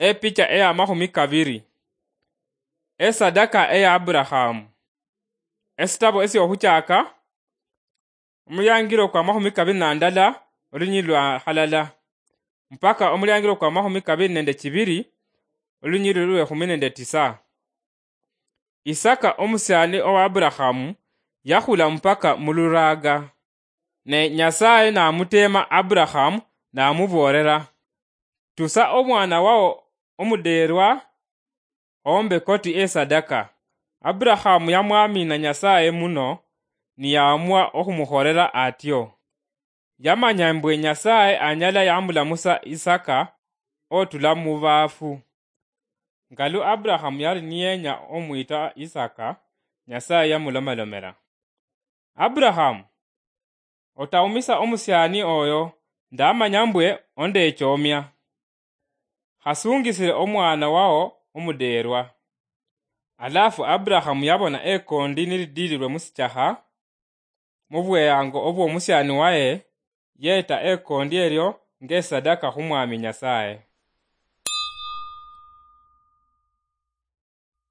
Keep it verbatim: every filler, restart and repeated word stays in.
Epicha eya mahumi kabiri. Esadaka eya Aburahamu. Esitabo esyohuchaka, omulyangira okwa mahumi kabiri na ndala, olunyiri lwa halala, mpaka omulyangira okwa mahumi kabiri nende chibiri, olunyiri lwe humi nende tisa. Isaka omusiani owa Aburahamu yahula mpaka muluraga. Ne Nyasaye namuteema Aburahamu, namuboolera, "Tusa omwana wao omudeerwa ombe koti esadaka." Aburahamu yamwamina Nyasaye muno, niyaamua okhumukhorera atyo. Yamanya mbwe Nyasaye anyala yamulamusa Isaka otula mubaafu. Nga lu Aburahamu yali niyenya omwita Isaka, Nyasaye yamulomalomera, "Aburahamu, otawumisa omusiani oyo, ndamanya mbwe ondechoomia. Hasungisire omwana wao omudeerwa." Alafu Aburahamu yabona ekondi nilidilirwe musichaha, mubweyango obwomusiani waye, yeta ekondi elyo ngesadaka khumwami Nyasaye.